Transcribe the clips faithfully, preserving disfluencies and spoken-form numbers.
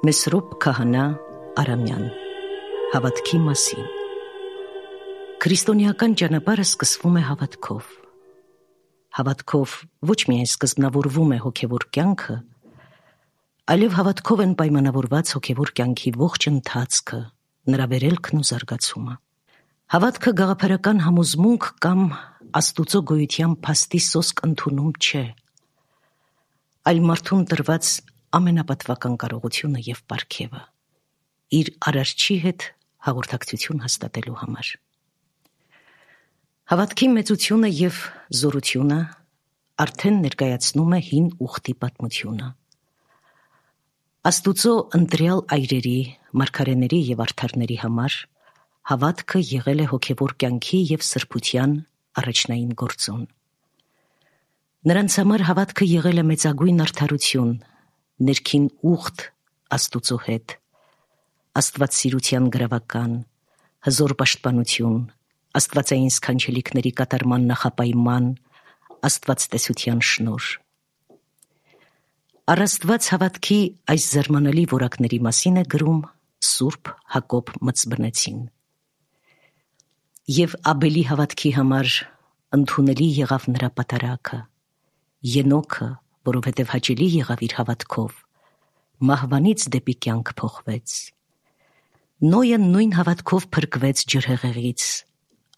Մեսրոպ Քահանա Արամյան Հավատքի մասին։ Քրիստոնեական ճանապարհը սկսվում է հավատքով։ Հավատքով ոչ միայն սկզբնավորվում է հոգևոր կյանքը, այլև հավատքով են պայմանավորված հոգևոր կյանքի ողջ ընթացքը, նրա վերելքն ու զարգացումը։ Հավատքը գաղափարական համոզմունք կամ Աստուծո գոյության փաստի սոսկ ընդունում չէ, այլ մարդուն տրված ամենապատվական կարողությունը և պարգևը, իր արարչի հետ հաղորդակցություն հաստատելու համար։ Հավատքի մեծությունը և զորությունը արդեն ներկայացնում է հին ուխտի պատմությունը։ Աստուծո ընտրյալ այրերի, մարգարեների և արդարների համար հավատքը եղել է հոգևոր կյանքի և սրբության առաջնային գործոն։ Նրանց համար հավատքը եղել է մեծագույն արդարություն, ներքին ուխտ Աստուծո հետ, աստվածասիրության գրավական, հզոր պաշտպանություն, աստվածային սքանչելիքների կատարման նախապայման, աստվածտեսության շնորհ։ Առ Աստված հավատքի այս զարմանալի որակների մասին է գրում Սուրբ Հակոբ Մծբնեցին։ Եվ Աբելի հավատքի համար ընդունելի եղավ նրա պատարագը, Ենոքը, որովհետև հաճելի եղավ իր հավատքով, մահվանից դեպի կյանք փոխվեց։ Նոյը նույն հավատքով փրկվեց ջրհեղեղից,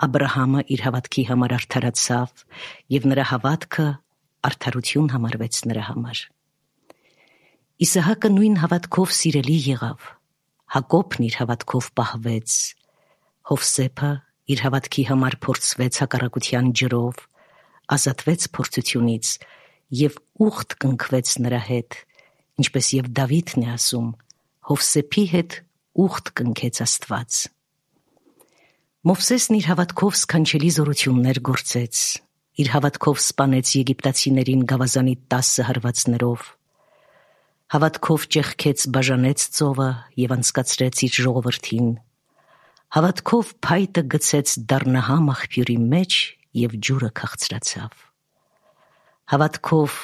Աբրահամը իր հավատքի համար արդարացավ, և նրա հավատքը արդարություն համարվեց նրա համար։ Իսահակը նույն հավատքով սիրելի եղավ, Հակոբն իր հավատքով պահվեց, Հովսեփը իր հավատքի համար փորձվեց հակառակության ջրով, ազատվեց փորձությունից և ուխտ կնքվեց նրա հետ, ինչպես և Դավիթն է ասում. Հովսեփի հետ ուխտ կնքեց Աստված։ Մովսեսն իր հավատքով սքանչելի զորություններ գործեց, իր հավատքով սպանեց եգիպտացիներին գավազանի տասը հարվածներով, հավատքով ճեղքեց բաժանեց ծովը և անցկացրեց իր ժողովրդին, հավատքով փայտը գցեց դառնահամ աղբյուրի մեջ և ջուրը քաղցրացավ, հավատքով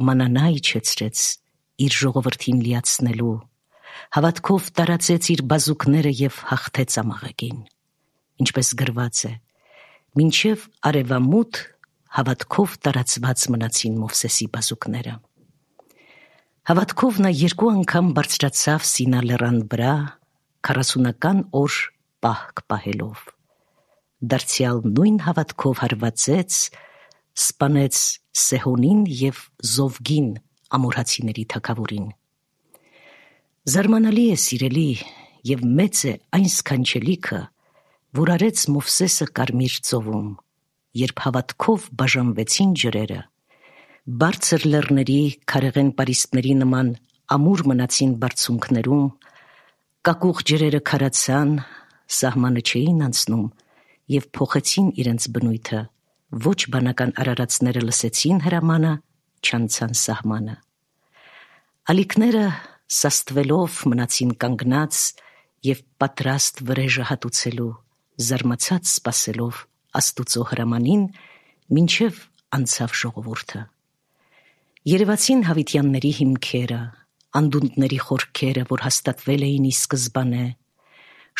մանանա իջեցրեց իր ժողովրդին լիացնելու, հավատքով տարածեց իր բազուկները և հաղթեց ամաղեկին, ինչպես գրված է. մինչև արևամուտ հավատքով տարածված մնացին Մովսեսի բազուկները։ Հավատքով նա երկու անգամ բարձրացավ Սինա լեռան վրա, քառասունական օր պահք պահելով, դարձյալ նույն հավատքով հարվածեց, սպանեց Սեհոնին և Զովգին ամորհացիների թագավորին։ Զարմանալի է, սիրելի, և մեծ է այն սքանչելիքը, որ արեց Մովսեսը Կարմիր ծովում, երբ հավատքով բաժանվեցին ջրերը, բարձր լեռների, քարեղեն պարիսպների նման ամուր մնացին բարձունքներում, կակուղ ջրերը քարացան, սահմանը չէին անցնում և փոխեցին իրենց բնույթը, ոչ բանական արարածները լսեցին հրամանը, չանցան սահմանը։ Ալիքները սաստվելով մնացին կանգնած և պատրաստ վրեժը հատուցելու, զարմացած սպասելով Աստուծո հրամանին, մինչև անցավ ժողովուրդը։ Երևացին հավիտյանների հիմքերը, անդունդների խորքերը, որ հաստատվել էին ի սկզբանե,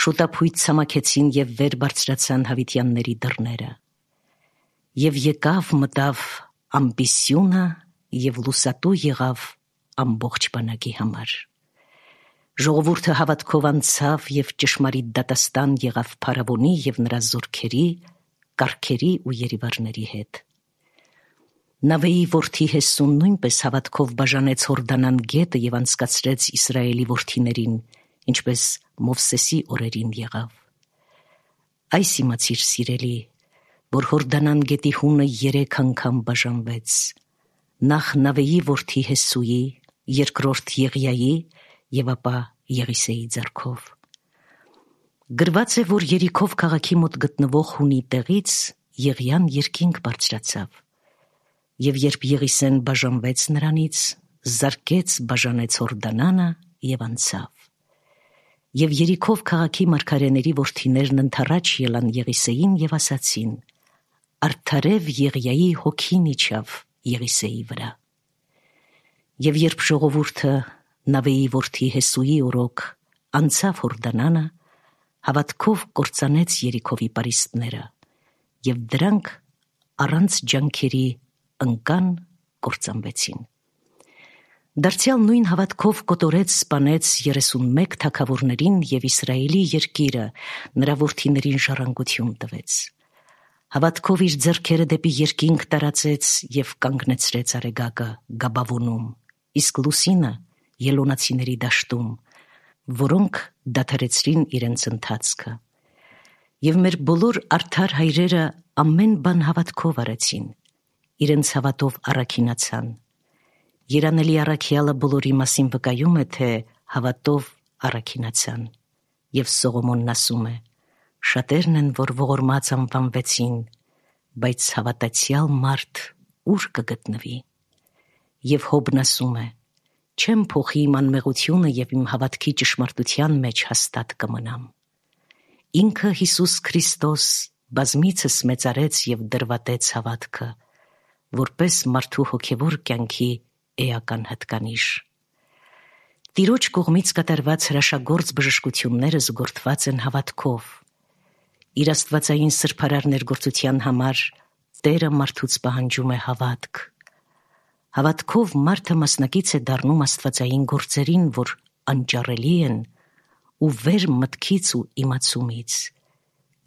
շուտափույթ ցամաքեցին և վեր բարձրացան հավիտյանների դռները։ Եվ եկավ մտավ ամբիսյունը և լուսատու եղավ ամբողջ բանակի համար։ Ժողովուրդը հավատքով անցավ և ճշմարիտ դատաստան եղավ փարավոնի և նրա զորքերի, կառքերի ու երիվարների հետ։ Նավեի որդի Հեսուն նույնպես հավատքով բաժանեց Հորդանան գետը և անցկացրեց Իսրայելի որդիներին, ինչպես Մովսեսի օրերին եղավ։ Այս իմացիր, սիրելի, որ Հորդանան գետի հունը երեք անգամ բաժանվեց, նախ Նավեի որդի Հեսուի, երկրորդ Եղիայի և ապա Եղիսեի ձեռքով։ Գրված է, որ Երիքով քաղաքի մոտ գտնվող հունի տեղից Եղիան երկինք բարձրացավ, և երբ Եղիսեն բաժանվեց նրանից, զարկեց բաժանեց Հորդանանը և անցավ։ Եվ Երիքով քաղաքի մարգարեների որդիներն ընդառաջ ելան Եղիսեին և ասացին. արդարև Եղիայի հոգին իջավ Եղիսեի վրա։ Եվ երբ ժողովուրդը Նավեի որդի Հեսուի օրոք անցավ Հորդանանը, հավատքով կործանեց Երիքովի պարիսպները, և դրանք առանց ջանքերի ընկան, կործանվեցին։ Դարձյալ նույն հավատքով կոտորեց սպանեց երեսունմեկ թագավորներին և Իսրայելի երկիրը նրա որդիներին ժառանգություն տվեց։ Հավատքով իր ձեռքերը դեպի երկինք տարածեց և կանգնեցրեց արեգակը Գաբավոնում, իսկ լուսինը Ելոնացիների դաշտում, որոնք դադարեցրին իրենց ընթացքը։ Եվ մեր բոլոր արդար հայրերը ամեն բան հավատքով արեցին, իրենց հավատով առաքինացան։ Երանելի առաքյալը բոլորի մասին վկայում է, թե հավատով առաքինացան։ Եվ Սողոմոնն ասում է. շատերն են, որ ողորմած անվանվեցին, բայց հավատացյալ մարդ ուր կգտնվի։ Եվ Հոբն ասում է. չեմ փոխի իմ անմեղությունը և իմ հավատքի ճշմարտության մեջ հաստատ կմնամ։ Ինքը Հիսուս Քրիստոս բազմիցս մեծարեց և դրվատեց հավատքը, որպես մարդու հոգևոր կյանքի էական հատկանիշ։ Տիրոջ կողմից կատարված հրաշագործ բժշկությունները զուգորդված են հավատքով։ Իր աստվածային սրբարար ներգործության համար Տերը մարդուց պահանջում է հավատք։ Հավատքով մարդը մասնակից է դառնում աստվածային գործերին, որ անճարելի են ու վեր մտքից ու իմացումից,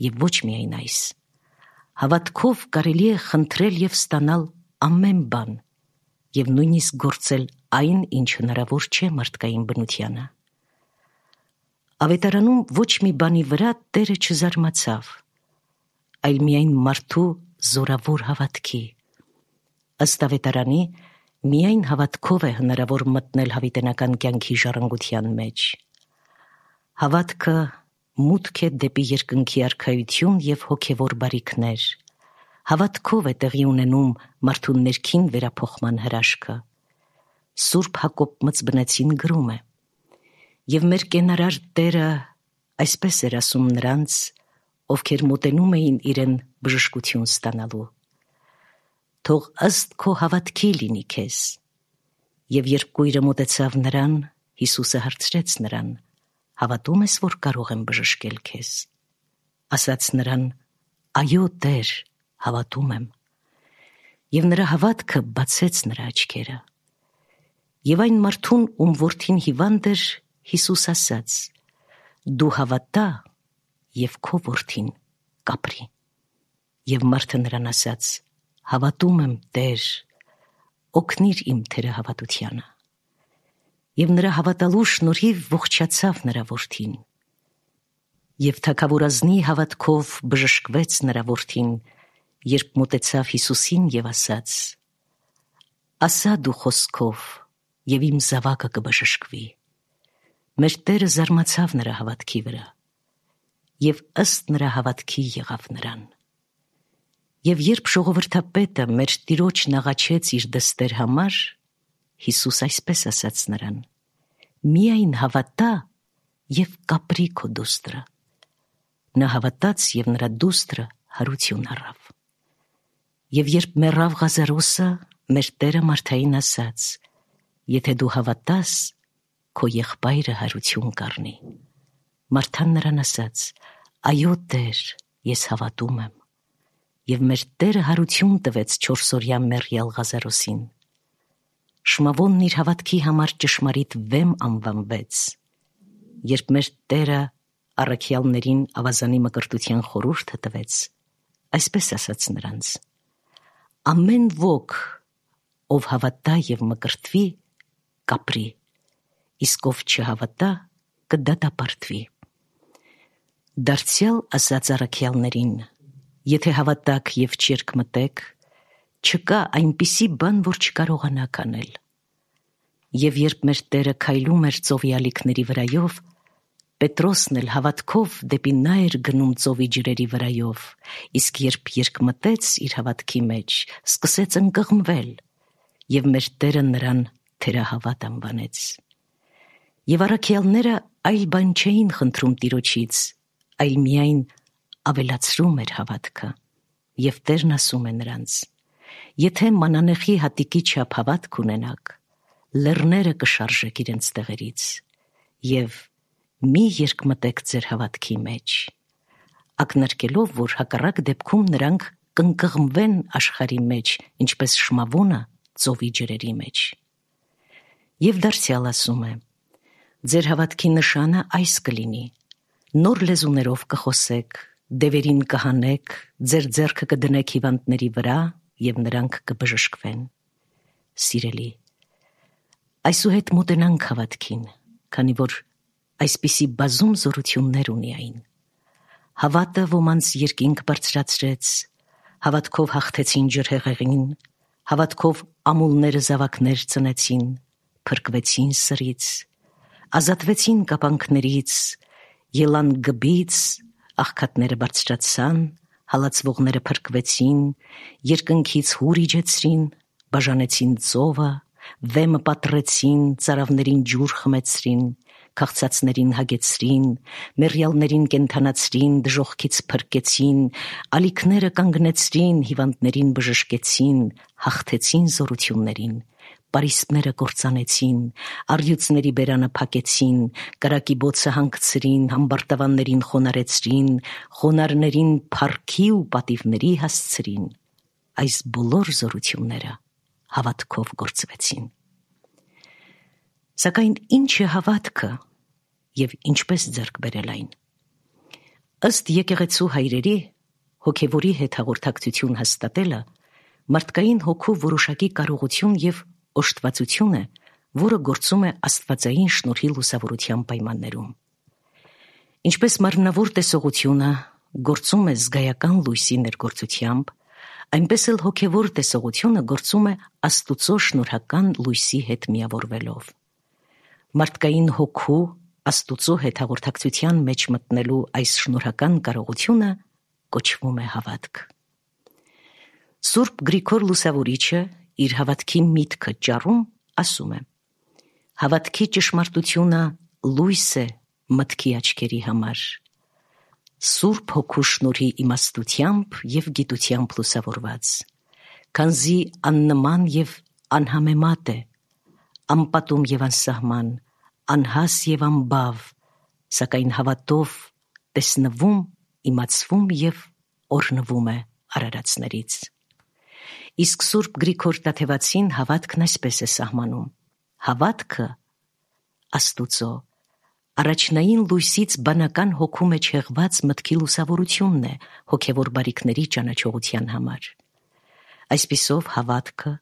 և ոչ միայն այս։ Հավատքով կարելի է խնդրել և ստանալ ամեն բան և նույնիսկ գործել այն, ինչ հնարավոր չէ մարդկային բնությանը։ Ավետարանում ոչ մի բանի վրա Տերը չզարմացավ, այլ միայն մարդու զորավոր հավատքի։ Ըստ ավետարանի, միայն հավատքով է հնարավոր մտնել հավիտենական կյանքի ժառանգության մեջ։ Հավատքը մուտք է դեպի երկնքի արքայություն և հոգևոր բարիքներ։ Հավատքով է տեղի ունենում մարդու ներքին վերափոխման հրաշքը։ Սուրբ Հակոբ Մծբնեցին գրում է. «Եվ մեր կենարար Տերը այսպես էր ասում նրանց, ովքեր մոտենում էին իրեն բժշկություն ստանալու. թող ըստ քո հավատքի լինի քեզ։ Եվ երբ կույրը մոտեցավ նրան, Հիսուսը հարցրեց նրան. հավատում ես, որ կարող եմ բժշկել քեզ։ Ասաց նրան. այո, Տեր, հավատում եմ։ Եվ նրա հավատքը բացեց նրա աչքերը։ Եվ այն մարդուն, ում որդին հիվանդ էր, Հիսուս ասաց. դու հավատա, և քո որդին կապրի։ Եվ մարդը նրան ասաց. հավատում եմ, Տեր, օգնիր իմ թերահավատությանը։ Եվ նրա հավատալու շնորհիվ ողջացավ նրա որդին։ Եվ թագավորազնի հավատքով բժշկվեց նրա որդին, երբ մոտեցավ Հիսուսին և ասաց. ասա դու խոսքով, և իմ զավակը կբժշկվի։ Մեր Տերը զարմացավ նրա հավատքի վրա, և ըստ նրա հավատքի եղավ նրան։ Եվ երբ ժողովրդապետը մեր Տիրոջն աղաչեց իր դստեր համար, Հիսուս այսպես ասաց նրան. միայն հավատա և կապրի քո դուստրը։ Նա հավատաց և նրա դուստրը հարություն առավ։ Եվ երբ մեռավ Ղազարոսը, մեր Տերը Մարթային ասաց. եթե դու հավատաս, քո եղբայրը հարություն կառնի։ Մարթան նրան ասաց. այո, Տեր, ես հավատում եմ։ Եվ մեր Տերը հարություն տվեց չորսօրյա մեռյալ Ղազարոսին։ Շմավոնն իր հավատքի համար ճշմարիտ վեմ անվանվեց։ Երբ մեր Տերը առաքյալներին ավազանի մկրտության խորհուրդը տվեց, այսպես ասաց նրանց. ամեն ոք, ով հավատա և մկրտվի, կապրի, իսկ ով չհավատա, կդատապարտվի։ Դարձյալ ասաց առաքյալներին. եթե հավատաք և չերկմտեք, չկա այնպիսի բան, որ չկարողանաք անել։ Եվ երբ մեր Տերը քայլում էր ծովի ալիքների վրայով, Պետրոսն էլ հավատքով դեպի նա էր գնում ծովի ջրերի վրայով, իսկ երբ երկմտեց իր հավատքի մեջ, սկսեց ընկղմվել, և մեր Տերը նրան թերահավատ անվանեց։ Եվ առաքյալները այլ բան չէին խնդրում Տիրոջից, այլ միայն ավելացրում էր հավատքը։ Եվ Տերն ասում է նրանց. եթե մանանեխի հատիկի չափ հավատք ունենաք, լեռները կշարժեք իրենց տեղերից, և մի երկմտեք ձեր հավատքի մեջ, ակնարկելով, որ հակառակ դեպքում նրանք կընկղմվեն աշխարհի մեջ, ինչպես շմավոնը ծովի ջրերի մեջ։ Եվ դարձյալ ասում է. ձեր հավատքի նշանը այս կլինի. նոր լեզուներով կխոսեք, դևերին կհանեք, ձեր ձեռքը կդնեք հիվանդների վրա և նրանք կբժշկվեն։ Սիրելի, այսուհետ մոտենանք հավատքին, քանի որ այսպիսի բազում զորություններ ունի այն։ Հավատը ոմանց երկինք բարձրացրեց, հավատքով հաղթեցին ջրհեղեղին, հավատքով ամուլները զավակներ ծնեցին, փրկվեցին սրից, ազատվեցին կապանքներից, ելան գբից, աղքատները բարձրացան, հալածվողները փրկվեցին, երկնքից հուր իջեցրին, բաժանեցին ծովը, վեմը պատռեցին, ծարավներին ջուր խմեցրին, քաղցածներին հագեցրին, մեռյալներին կենդանացրին, դժոխքից փրկեցին, ալիքները կանգնեցրին, հիվանդներին բժշկեցին, հաղթեցին զորություններին, պարիսպները կործանեցին, առյուծների բերանը փակեցին, կրակի բոցը հանգցրին, համբարտավաններին խոնարհեցրին, խոնարհներին փառքի ու պատիվների հասցրին։ Այս բոլոր զորությունները հավատքով գործվեցին։ Սակայն ինչ է հավատքը և ինչպես ձեռք բերել այն։ Ըստ եկեղեցու հայրերի, հոգևորի հետ հաղորդակցություն հաստատելը մարդկային հոգու որոշակի կարողություն և օժտվածություն է, որը գործում է աստվածային շնորհի լուսավորության պայմաններում։ Ինչպես մարմնավոր տեսողությունը գործում է զգայական լույսի ներգործությամբ, այնպես էլ հոգևոր տեսողությունը գործում է Աստուծո շնորհական լույսի հետ միավորվելով։ Մարդկային հոգու Աստուծո հետ հաղորդակցության մեջ մտնելու այս շնորհական կարողությունը կոչվում է հավատք։ Սուրբ Գրիգոր Լուսավորիչը իր հավատքի միտքը ճառում ասում է. հավատքի ճշմարտությունը լույս է մտքի աչքերի համար, Սուրբ Հոգու շնորհի իմաստությամբ և գիտությամբ լուսավորված, քանզի աննման և անհամեմատ է, անպատում և անսահման, անհաս և անբավ, սակայն հավատով տեսնվում, իմացվում և օրհնվում է արարածներից։ Իսկ Սուրբ Գրիգոր Տաթևացին հավատքն այսպես է սահմանում. հավատքը Աստուծո առաջնային լույսից բանական հոգու մեջ հեղված մտքի լուսավորությունն է հոգևոր բարիքների ճանաչողության համար։ Այսպիսով հավատքը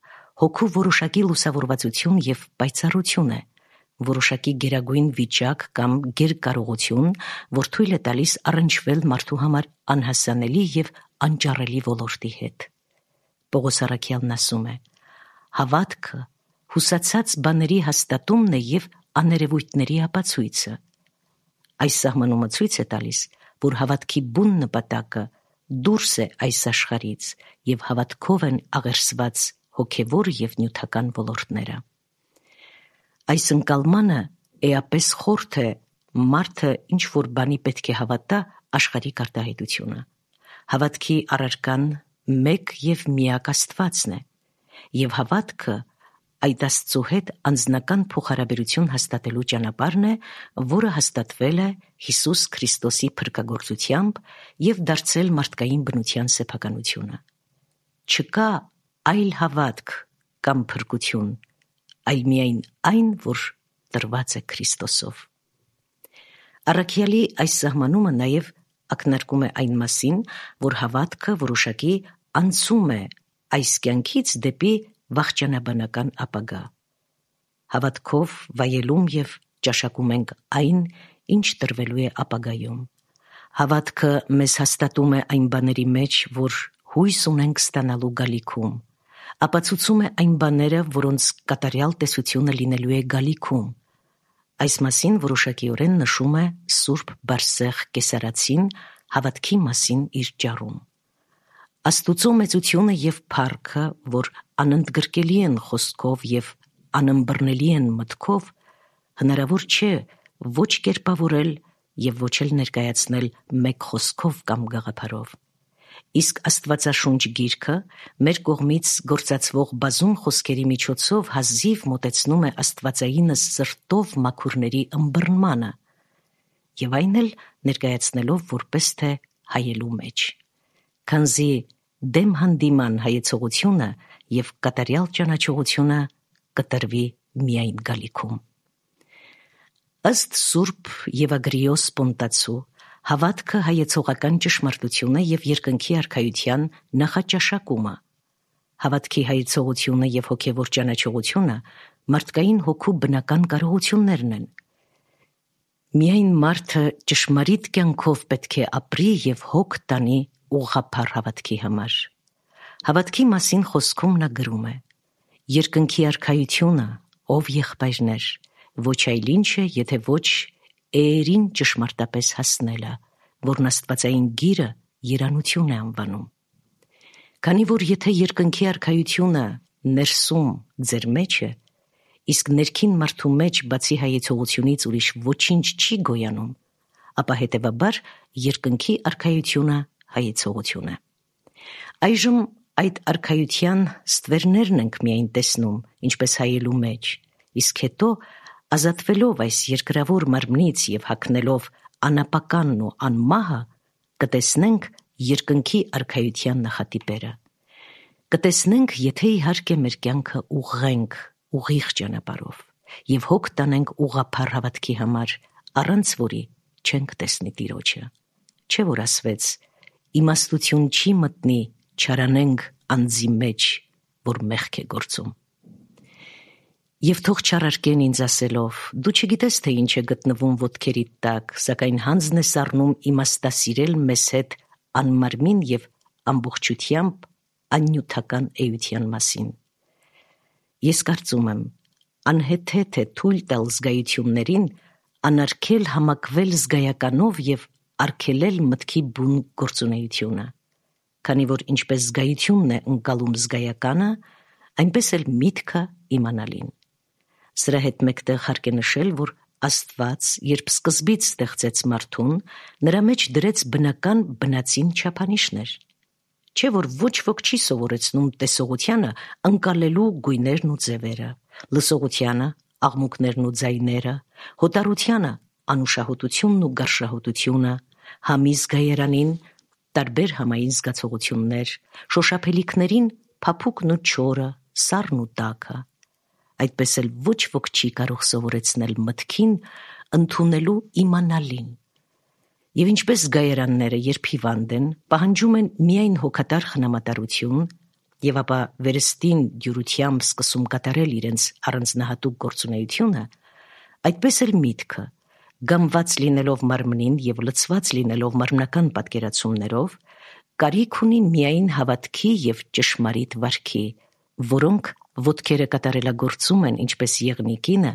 հոգու որոշակի լուսավորվածություն և պայծառություն է, որոշակի գերագույն վիճակ կամ գերկարողություն, որ թույլ է տալիս առնչվել մարդու համար անհասանելի և անճառելի ոլորտի հետ։ Պողոս առաքյալն ասում է. հավատքը հուսացած բաների հաստատումն է և աներևույթների ապացույցը։ Այս սահմանումը ցույց է տալիս, որ հավատքի բուն նպատակը դուրս է այս աշխարհից և հավատքով են աղերսված հոգևոր և նյութական ոլորտները։ Այս ընկալմանը էապես խորթ է մարդը ինչ-որ բանի պետք է հավատա աշխարհիկ արտահայտությունը։ Հավատքի առարկան մեկ և միակ Աստվածն է, և հավատքը այդ Աստծո հետ անձնական փոխհարաբերություն հաստատելու ճանապարհն է, որը հաստատվել է Հիսուս Քրիստոսի փրկագործությամբ և դարձել մարդկային բնության սեփականությունը։ Չկա այլ հավատք կամ փրկություն, այլ միայն այն, որ տրված է Քրիստոսով։ Առաքյալի այս սահմանումը նաև ակնարկում է այն մասին, որ հավատքը որոշակի անցում է այս կյանքից դեպի վախճանաբանական ապագա։ Հավատքով վայելում և ճաշակում ենք այն, ինչ տրվելու է ապագայում։ Հավատքը մեզ հաստատում է այն բաների մեջ, որ հույս ունենք ստանալու գալիքում, ապացուցում է այն բաները, որոնց կատարյալ տեսությունը լինելու է գալիքում։ Այս մասին որոշակիորեն նշում է Սուրբ Բարսեղ Կեսարացին հավատքի մասին իր ճառում։ Աստուծո մեծությունը և փառքը, որ անընդգրկելի են խոսքով և անըմբռնելի են մտքով, հնարավոր չէ ոչ կերպավորել և ոչ էլ ներկայացնել մեկ խոսքով կամ գաղափարով։ իսկ Աստվածաշունչ գիրքը մեր կողմից գործածվող բազում խոսքերի միջոցով հազիվ մոտեցնում է աստվածայինս սրտով մաքուրների ըմբռնմանը եւ այն էլ ներկայացնելով որպես թե հայելու մեջ, քանզի դեմ հանդիման հայեցողությունը եւ կատարյալ ճանաչողությունը կտրվի միայն գալիքում։ Ըստ Սուրբ Եվագրիոս Պոնտացու հավատքը հայեցողական ճշմարտությունը եւ երկնքի արքայության նախաճաշակումը, հավատքի հայեցողությունը եւ հոգեվոր ճանաչողությունը մարդկային հոգու բնական կարողություններն են։ Միայն մարդը ճշմարիտ կյանքով պետք է ապրի եւ հոգ տանի ուղղափառ հավատքի համար։ Հավատքի մասին խոսքում նա գրում է. երկնքի արքայությունը, ով եղբայրներ, ոչ այլ ինչ է, եթե ոչ էերին ճշմարտապես հասնելը, որն աստվածային գիրը երանություն է անվանում։ Քանի որ եթե երկնքի արքայությունը ներսում ձեր մեջ է, իսկ ներքին մարդու մեջ բացի հայեցողությունից ուրիշ ոչինչ չի գոյանում, ապա հետևաբար երկնքի արքայությունը հայեցողություն է։ Այժմ այդ արքայության ստվերներն ենք միայն տեսնում, ինչպես հայելու մեջ, իսկ հետո ազատվելով այս երկրավոր մարմնից եւ հագնելով անապականն ու անմահը, կտեսնենք երկնքի արքայության նախատիպերը։ Կտեսնենք, եթե իհարկե մեր կյանքը ուղղենք ուղիղ ճանապարհով եւ հոգ տանենք ուղղափառ հավատքի համար, առանց որի չենք տեսնի Տիրոջը։ Չէ՞ որ ասվեց. իմաստություն չի մտնի չարանենք անձի մեջ, որ մեղք է գործում։ Եվ թող չարարկեն ինձ ասելով. դու չգիտես, թե ինչ է գտնվում ոտքերիդ տակ, սակայն հանձն ես առնում իմաստասիրել մեզ հետ անմարմին եւ ամբողջությամբ աննյութական էության մասին։ Ես կարծում եմ, անհեթեթ է թույլ տալ զգայություններին անարգել համակվել զգայականով եւ արգելել մտքի բուն գործունեությունը, քանի որ ինչպես զգայությունն է ընկալում զգայականը, այնպես էլ միտքը իմանալին։ Սրա հետ մեկտեղ հարկ է նշել, որ Աստված, երբ սկզբից ստեղծեց մարդուն, նրա մեջ դրեց բնական բնածին չափանիշներ։ Չէ՞ որ ոչ ոք չի սովորեցնում տեսողությանը ընկալելու գույներն ու ձևերը, լսողությանը աղմուկներն ու ձայները, հոտառությանը անուշահոտությունն ու գարշահոտությունը, համի զգայարանին տարբեր համային զգացողություններ, շոշափելիքներին փափուկն ու չորը, սառն ու տաքը։ Այդպես էլ ոչ ոք չի կարող սովորեցնել մտքին ընդունելու իմանալին։ Եվ ինչպես զգայարանները, երբ հիվանդ են, պահանջում են միայն հոգատար խնամատարություն եւ ապա վերստին դյուրությամբ սկսում կատարել իրենց առանձնահատուկ գործունեությունը, այդպես էլ միտքը, գամված լինելով մարմնին եւ լցված լինելով մարմնական պատկերացումներով, կարիք ունի միայն հավատքի եւ ճշմարիտ վարքի, որոնք ոտքերը կատարելագործում են ինչպես եղնիկինը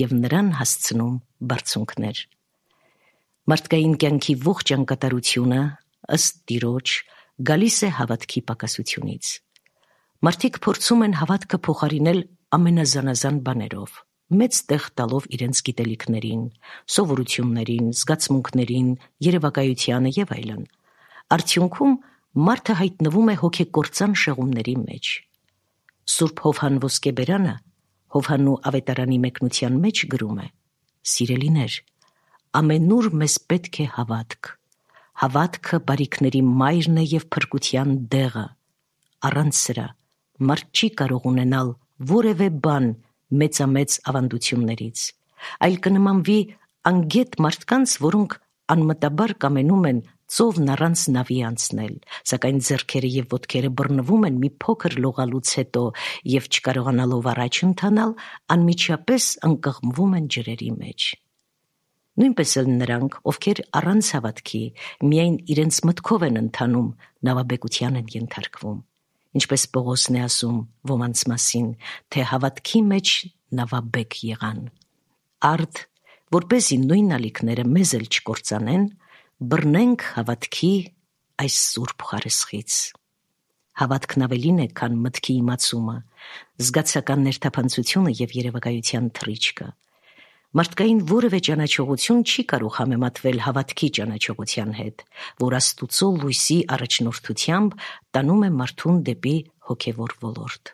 եւ նրան հասցնում բարձունքներ։ Մարդկային կյանքի ողջ անկատարությունը, ըստ Տիրոջ, գալիս է հավատքի պակասությունից։ Մարդիկ փորձում են հավատքը փոխարինել ամենազանազան բաներով, մեծ տեղ տալով իրենց գիտելիքներին, սովորություններին, զգացմունքներին, երևակայությանը եւ այլն։ Արդյունքում մարդը հայտնվում է հոգեկործան շեղումների մեջ։ Սուրբ Հովհան Ոսկեբերանը Հովհաննու ավետարանի մեկնության մեջ գրում է. «Սիրելիներ, ամենուր մեզ պետք է հավատք։ Հավատքը բարիքների մայրն է եւ փրկության դեղը։ Առանց սրա մարդ չի կարող ունենալ որևէ բան մեծամեծ ավանդություններից, այլ կնմանվի անգետ մարդկանց, որոնք անմտաբար կամենում են ծովն առանց նավի անցնել, սակայն ձեռքերը եւ ոտքերը բռնվում են մի փոքր լողալուց հետո եւ չկարողանալով առաջ ընթանալ, անմիջապես ընկղմվում են ջրերի մեջ։ Նույնպես էլ նրանք, ովքեր առանց հավատքի միայն իրենց մտքով են ընթանում, նավաբեկության են ենթարկվում։ Ինչպես Պողոսն է ասում ոմանց մասին, թե հավատքի մեջ նավաբեկ եղան։ Արդ, որպեսզի նույն ալիքները մեզ էլ չկործանեն, բռնենք հավատքի այս սուրբ խարսխից։ Հավատքն ավելին է, քան մտքի իմացումը, զգացական ներթափանցությունը եւ երևակայության թռիչքը։ Մարդկային որևէ ճանաչողություն չի կարող համեմատվել հավատքի ճանաչողության հետ, որ Աստուծո լույսի առաջնորդությամբ տանում է մարդուն դեպի հոգևոր ոլորտ։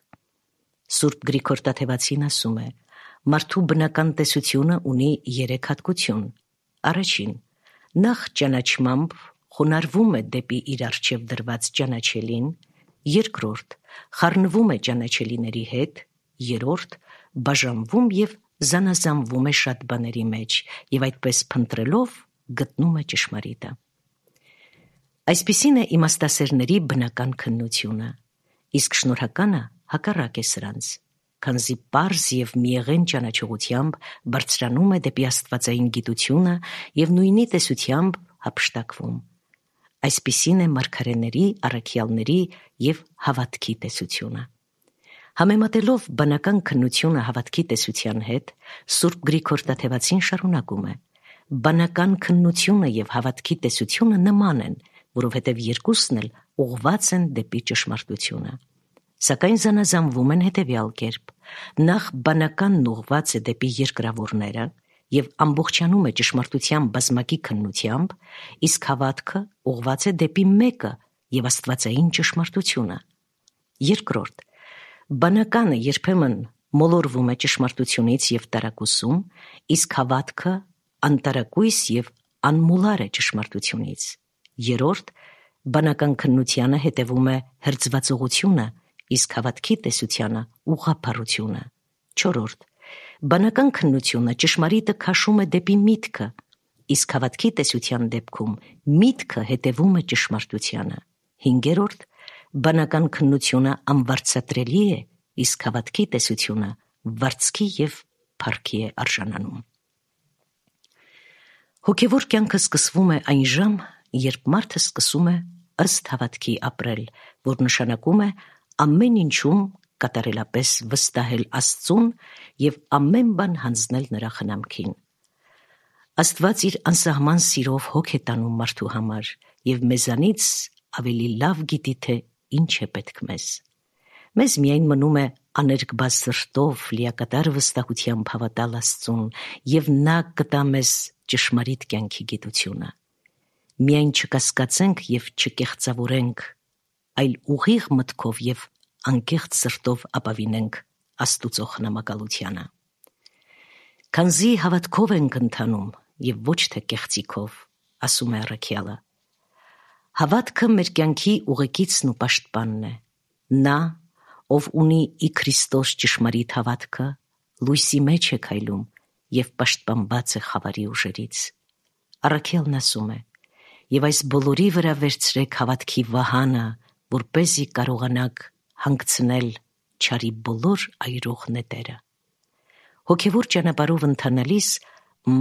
Սուրբ Գրիգոր Տաթևացին ասում է. մարդու բնական տեսությունը ունի երեք հատկություն։ Առաջին, նախ ճանաչմամբ խոնարհվում է դեպի իր առջև դրված ճանաչելին, երկրորդ, խառնվում է ճանաչելիների հետ, երրորդ, բաժանվում եւ զանազանվում է շատ բաների մեջ եւ այդպես փնտրելով գտնում է ճշմարիտը։ Այսպիսին է իմաստասերների բնական քննությունը, իսկ շնորհականը հակառակ է սրանց, քանզի պարզ եւ միեղեն ճանաչողությամբ բարձրանում է դեպի աստվածային գիտությունը եւ նույնի տեսությամբ հափշտակվում։ Այսպիսին է մարգարեների, առաքյալների եւ հավատքի տեսությունը։ Համեմատելով բնական քննությունը հավատքի տեսության հետ, Սուրբ Գրիգոր Տաթևացին շարունակում է. բանական քննությունը եւ հավատքի տեսությունը նման են, որովհետեւ երկուսն էլ ուղղված են դեպի ճշմարտությունը։ Սակայն զանազանվում են հետևյալ կերպ. նախ բանականն ուղղված է դեպի երկրավորները եւ ամբողջանում է ճշմարտության բազմակի քննությամբ, իսկ հավատքը ուղղված է դեպի մեկը եւ աստվածային ճշմարտությունը։ Երկրորդ, բանականը երբեմն մոլորվում է ճշմարտությունից եւ տարակուսում, իսկ հավատքը անտարակույս եւ անմոլար է ճշմարտությունից։ Երրորդ, բանական քննությանը հետևում է հրձվածողությունը, իսկ հավատքի տեսությանը ուղղափառությունը։ Չորրորդ, բանական քննությունը ճշմարիտը քաշում է դեպի միտքը, իսկ հավատքի տեսության դեպքում միտքը հետևում է ճշմարտությանը։ Հինգերորդ, բանական քննությունը անվարձատրելի է, իսկ հավատքի տեսությունը վարձքի եւ փառքի է արժանանում։ Հոգևոր կյանքը սկսվում է այն ժամ, երբ մարդը սկսում է ըստ հավատքի ապրել, որ նշանակում է ամեն ինչում կատարելապես վստահել Աստծուն եւ ամեն բան հանձնել նրա խնամքին։ Աստված իր անսահման սիրով հոգ է տանում մարդու համար եւ մեզանից ավելի լավ գիտի, թե ինչ է պետք մեզ։ Մեզ միայն մնում է աներկբա սրտով լիակատար վստահությամբ հավատալ Աստծուն եւ նա կտա մեզ ճշմարիտ կյանքի գիտությունը։ Միայն չկասկածենք եւ չկեղծավորենք, այլ ուղիղ մտքով եւ անկեղծ սրտով ապավինենք Աստուծո խնամակալությանը։ Քանզի հավատքով ենք ընթանում եւ ոչ թե կեղծիքով, ասում է առաքյալը։ Հավատքը մեր կյանքի ուղեկիցն ու պաշտպանն է։ Նա, ով ունի ի Քրիստոս ճշմարիտ հավատքը, լույսի մեջ է քայլում եւ պաշտպանված է խավարի ուժերից։ Առաքյալն ասում է. «Եվ այս բոլորի վրա վերցրեք հավատքի վահանը, որպեսզի կարողանաք հանգցնել չարի բոլոր այրող նետերը»։ Հոգևոր ճանապարհով ընթանալիս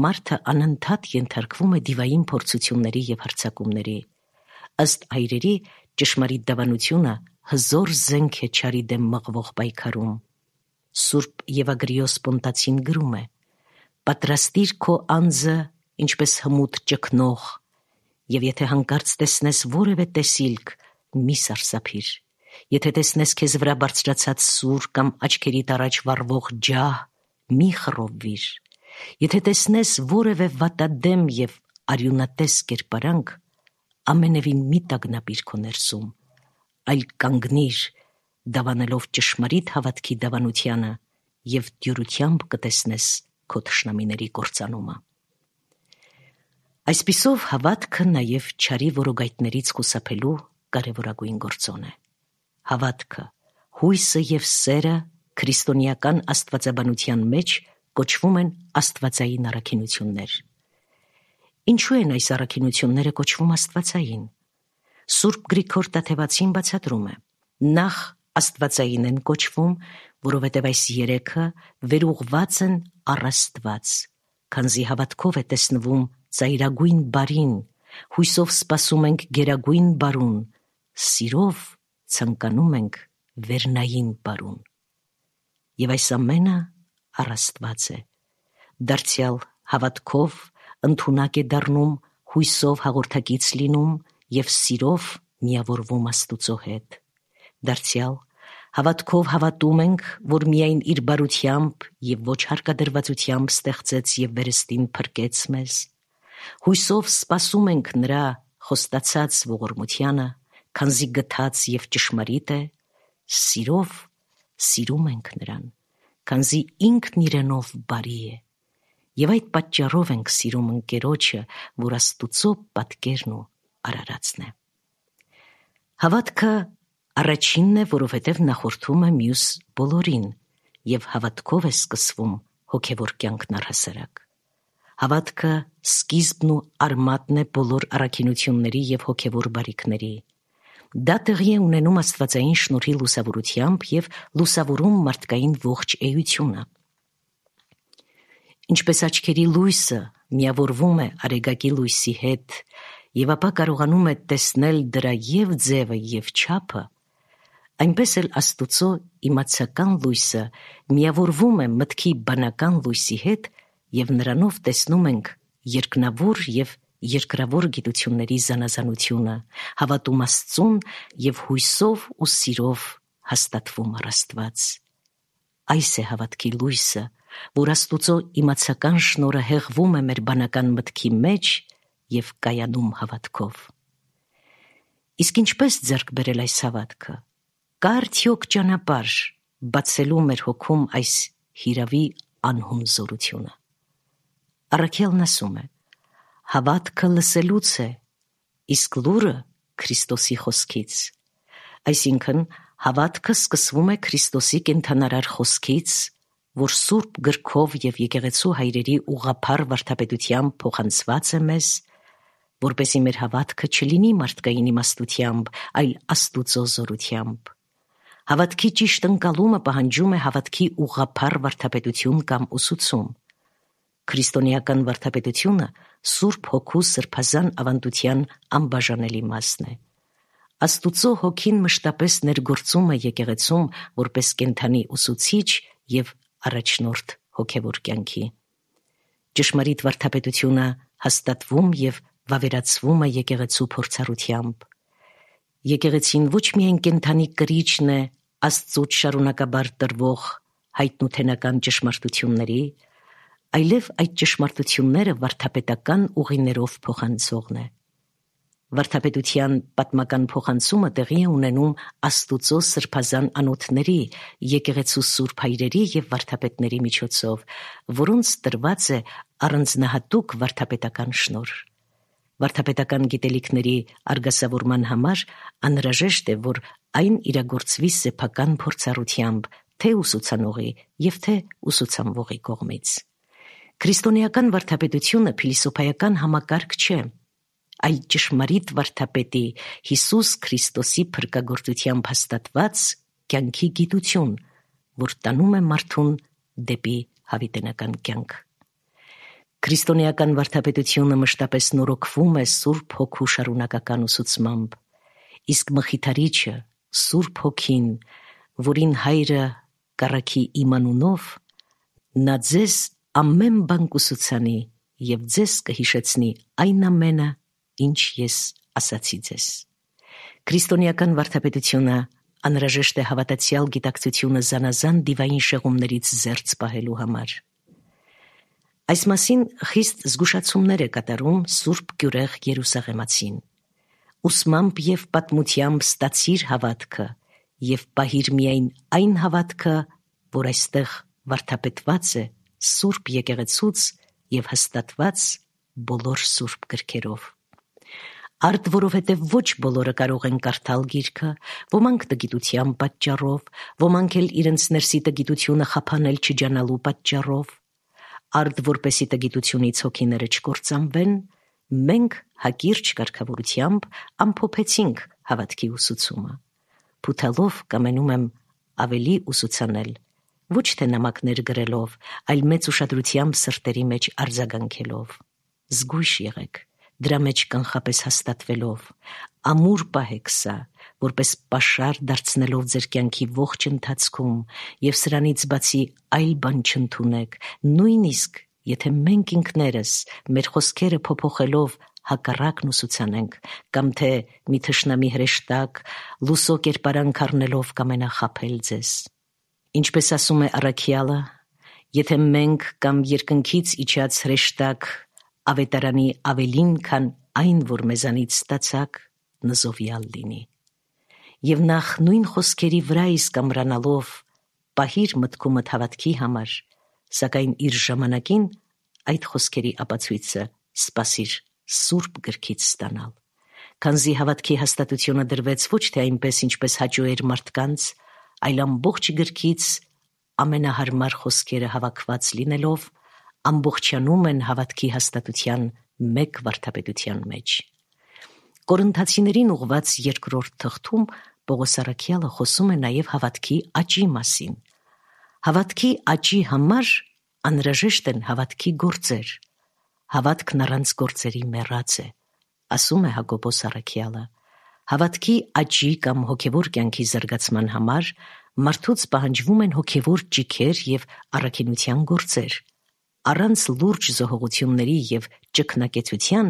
մարդը անընդհատ ենթարկվում է դիվային փորձությունների եւ հարձակումների։ Ըստ այրերի ճշմարիտ դավանությունը հզոր զենք է չարի դեմ մղվող պայքարում։ Սուրբ Եվագրիոս Պոնտացին գրում է. «Պատրաստիր քո անձը ինչպես հմուտ ճկնող, եւ եթե հանկարծ տեսնես որևէ տեսիլք, մի սարսափիր։ Եթե տեսնես քեզ վրա բարձրացած սուր կամ աչքերիդ առաջ վառվող ջահ, մի խռովվիր։ Եթե տեսնես որևէ վատադեմ եւ արյունատես կերպարանք, ամենևին մի տագնապիր քո ներսում, այլ կանգնիր, դավանելով ճշմարիտ հավատքի դավանությանը եւ դյուրությամբ կտեսնես քո թշնամիների կործանումը»։ Այսպիսով հավատքը նաեւ չարի որոգայթներից խուսափելու կարևորագույն գործոն է։ Հավատքը, հույսը եւ սերը քրիստոնեական աստվածաբանության մեջ կոչվում են աստվածային առաքինություններ։ Ինչու են այս առաքինությունները կոչվում աստվածային։ Սուրբ Գրիգոր Տաթևացին բացատրում է. նախ աստվածային են կոչվում, որովհետև այս երեքը վերուղված են առ Աստված, քանզի հավատքով է տեսնվում ծայրագույն բարին, հույսով սպասում ենք գերագույն բարուն, սիրով ցանկանում ենք վերնային բարուն։ Եվ այս ամենը առ Աստված է։ Դարձյալ հավատքով ընդունակ է դառնում, հույսով հաղորդակից լինում եւ սիրով միավորվում Աստուծո հետ։ Դարձյալ Հավատքով հավատում ենք, որ միայն իր բարությամբ և ոչ հարկադրվածությամբ ստեղծեց և վերստին փրկեց մեզ։ Հույսով սպասում ենք նրա խոստացած ողորմությանը, քանզի գթած և ճշմարիտ է, սիրով սիրում ենք նրան, քանզի ինքն իրենով բարի է, և այդ պատճառով ենք սիրում ընկերոջը, որ Աստուծո պատկերն ու արարածն է։ Հավատքը առաջինն է, որովհետև նախորդում է մյուս բոլորին, և հավատքով է սկսվում հոգևոր կյանքն առհասարակ։ Հավատքը սկիզբն ու արմատն է բոլոր առաքինությունների և հոգևոր բարիքների։ Դա տեղի է ունենում աստվածային շնորհի լուսավորությամբ և լուսավորում մարդկային ողջ էությունը։ Ինչպես աչքերի լույսը միավորվում է արեգակի լույսի հետ և ապա կարողանում է տեսնել դրա և ձևը, և չափը, այնպես էլ Աստուծո իմացական լույսը միավորվում է մտքի բանական լույսի հետ և նրանով տեսնում ենք երկնավոր և երկրավոր գիտությունների զանազանությունը, հավատում Աստծուն և հույսով ու սիրով հաստատվում առ Աստված։ Այս է հավատքի լույսը, որ Աստուծո իմացական շնորհը հեղվում է մեր բանական մտքի մեջ և կայանում հավատքով։ Իսկ ինչպես ձեռք բերել այս հավատքը։ Կա արդյոք ճանապարհ բացելու մեր հոգում այս հիրավի անհուն զորությունը։ Առաքյալն ասում է. հավատքը լսելուց է, իսկ լուրը Քրիստոսի խոսքից։ Այսինքն, հավատքը սկսվում է Քրիստոսի կենդանարար խոսքից, որ Սուրբ գրքով և եկեղեցու հայրերի ուղղափառ վարդապետությամբ փոխանցված է մեզ, որպեսզի մեր հավատքը չլինի մարդկային իմաստությամբ, այլ Աստուծո զորությամբ։ Հավատքի ճիշտ ընկալումը պահանջում է հավատքի ուղղափառ վարդապետություն կամ ուսուցում։ Քրիստոնեական վարդապետությունը Սուրբ Հոգու սրբազան ավանդության անբաժանելի մասն է։ Աստուծո Հոգին մշտապես ներգործում է եկեղեցում որպես կենդանի ուսուցիչ և առաջնորդ հոգևոր կյանքի։ Ճշմարիտ վարդապետությունը հաստատվում և վավերացվում է եկեղեցու փորձառությամբ։ Եկեղեցին ոչ միայն կենդանի կրիչն է Աստծուց շարունակաբար տրվող հայտնութենական ճշմարտությունների, այլև այդ ճշմարտությունները վարդապետական ուղիներով փոխանցողն է։ Վարդապետության պատմական փոխանցումը տեղի է ունենում Աստուծո սրբազան անոթների, եկեղեցու սուրբ հայրերի և վարդապետների միջոցով, որոնց տրված է առանձնահատուկ վարդապետական շնորհ։ Վարդապետական գիտելիքների արգասավորման համար անհրաժեշտ է, որ այն իրագործվի սեփական փորձառությամբ, թե ուսուցանողի և թե ուսուցանվողի կողմից։ Քրիստոնեական վարդապետությունը փիլիսոփայական համակարգ չէ, այլ ճշմարիտ վարդապետի Հիսուս Քրիստոսի փրկagorծությամբ հաստատված կյանքի գիտություն, որ տանում է մարդուն դեպի հավիտենական կյանք։ Քրիստոնեական վարդապետությունը մշտապես նորոգվում է Սուրբ Հոգու շարունակական ուսուցմամբ, իսկ Մխիթարիչը, Սուրբ Հոգին, որին Հայրը կառքի իմ անունով, նա ձեզ ամեն բան կուսուցանի և ձեզ կհիշեցնի այն ամենը, ինչ ես ասացի ձեզ։ Քրիստոնեական վարդապետությունը անհրաժեշտ է հավատացյալ գիտակցությունը զանազան դիվային շեղումներից զերծ պահելու համար։ Այս մասին խիստ զգուշացումներ է կատարում Սուրբ Գյուրեղ Երուսաղեմացին. ուսմամբ և պատմությամբ ստացիր հավատքը և պահիր միայն այն հավատքը, որ այստեղ վարդապետված է Սուրբ եկեղեցուց և հաստատված բոլոր սուրբ գրքերով։ Արդ որովհետև ոչ բոլորը կարող են կարդալ գիրքը, ոմանք տգիտության պատճառով, ոմանք էլ իրենց ներսի տգիտությունը խափանել չջանալու պատճառով։ Արդ որպեսի տգիտությունից հոգիները չկործանվեն, մենք հակիրճ կարգավորությամբ ամփոփեցինք հավատքի ուսուցումը։ Փութալով կամենում եմ ավելի ուսուցանել, ոչ թե նամակներ գրելով, այլ մեծ ուշադրությամբ սրտերի մեջ արձագանքելով։ Զգույշ եղեք, դրա մեջ կանխապես հաստատվելով, ամուր պահեք սա, որպես պաշար դարձնելով ձեր կյանքի ողջ ընթացքում և սրանից բացի այլ բան չընդունեք, նույնիսկ եթե մենք ինքներս մեր խոսքերը փոփոխելով հակառակն ուսուցանենք, կամ թե մի թշնամի հրեշտակ լուսո կերպարանք առնելով կամենախաբել ձեզ։ Ինչպես ասում է առաքյալը, եթե մենք կամ երկնքից իջած հրեշտակ ավետարանի ավելին, քան այն, որ մեզանից ստացաք, նզովյալ լինի։ Եվ նախ նույն խոսքերի վրա իսկ ամրանալով պահիր մտքումդ հավատքի համար, սակայն իր ժամանակին այդ խոսքերի ապացույցը սպասիր սուրբ գրքից ստանալ, քանզի հավատքի հաստատությունը դրվեց ոչ թե այնպես, ինչպես հաճո էր մարդկանց, այլ ամբողջ գրքից ամենահարմար խոսքերը հավաքված լինելով ամբողջանում են հավատքի հաստատության մեկ վարդապետության մեջ։ Կորինթացիներին ուղված երկրորդ թղթում Պողոս առաքյալը խոսում է նաև հավատքի աճի մասին։ Հավատքի աճի համար անհրաժեշտ են հավատքի գործեր։ Հավատքն առանց գործերի մեռած է, ասում է Հակոբոս առաքյալը։ Հավատքի աճի կամ հոգևոր կյանքի զարգացման համար մարդուց պահանջվում են հոգևոր ճիգեր և առաքինության գործեր։ Առանց լուրջ զոհողությունների և ճգնակեցության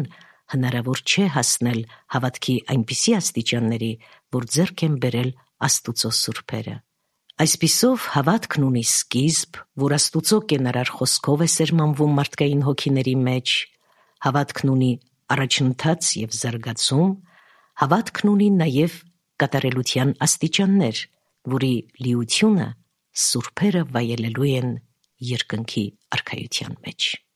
հնարավոր չէ հասնել հավատքի այնպիսի աստիճանների, որ ձեռք են բերել Աստուծո սուրբերը։ Այսպիսով հավատքն ունի սկիզբ, որ Աստուծո կենարար խոսքով է սերմանվում մարդկային հոգիների մեջ, հավատքն ունի առաջընթաց և զարգացում, հավատքն ունի նաև կատարելության աստիճաններ, որի լիությունը սուրբերը վայելելու են երկնքի արքայության մեջ։